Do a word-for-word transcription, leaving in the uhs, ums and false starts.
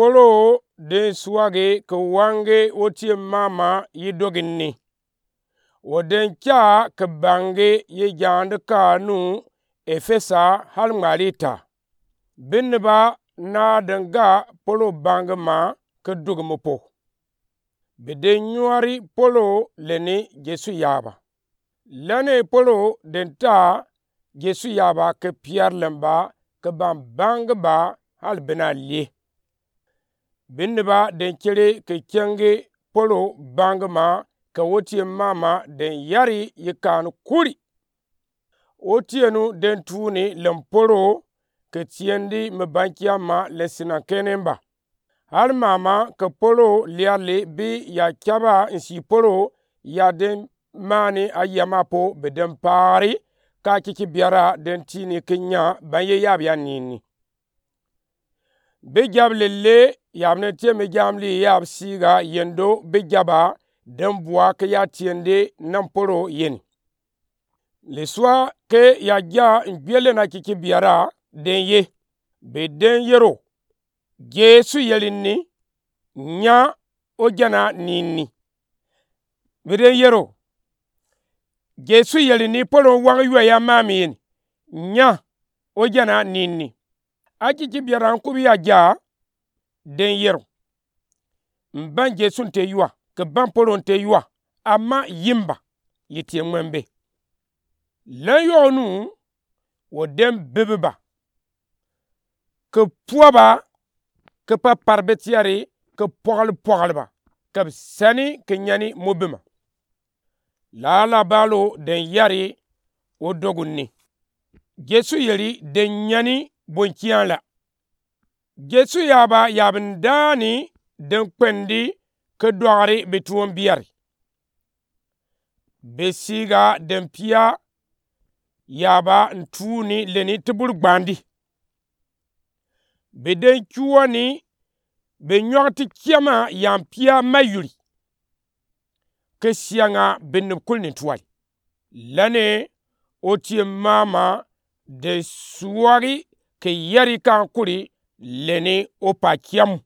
Polo den suage ke wange otie mama yi dogi ni. Wa den ca ke bange yi jande ka nu Efesa hali ŋmali ta. Binne ba na den ga Polo bange ma ke dogi mo po. Bi den nyuari Polo leni Jesu yaba. Lane Polo den ta Jesu yaba ke piar len ba ke ban bange ba hali bena lie. Binne ba den cere ke cenge Polo bange ma ke otie mama den yari yi kan kuri. Otie nu den tuuni len Polo ke tiendi me bankia ma len sinaŋ kenen ba. Hali mama ke Polo liali bi ya caba nsi Polo ya den mani a yama po bi den paari ka kiki biara den tiini ke nya ban ye yabia nini. Bi jab lele yab ne tie mi jamli yab siga yendo bi jaba den bua ke ya tiende nan Polo yeni. Lisua ke ya ja njuele na kiki biara den ye. Bi den yero Jesu yeli ni nya ojana nini. Bi den yero Jesu yeli ni Polo waŋ yua ya mami yeni nya ojana nini. A kiki biara nkubi ya ja den yero. Mban Jesu nte yua ke ban Polo nte yua ama yimba yi tie ŋmɛn be. Len yɔɔ nu wa den bibi ba ke pua ba ke papar betiari ke pɔgli pɔgli ba ke bi sani ke nyani mo bima. Lala balo den yari wa dogu ni. Jesu yeli den nyani bonkian la. Jesu yaba yabin daani den kpendi ke dɔgri bi tuon biari. Bi siga den pia yaba ntuuni leni ti buri gbandi. Bi den cuani bi nyɔg ti kiama yan pia mayuri. Ke siaŋa binni kuli ni tuali. Lane otie mama de suagi ke yari kan kuli leni opa kiamu.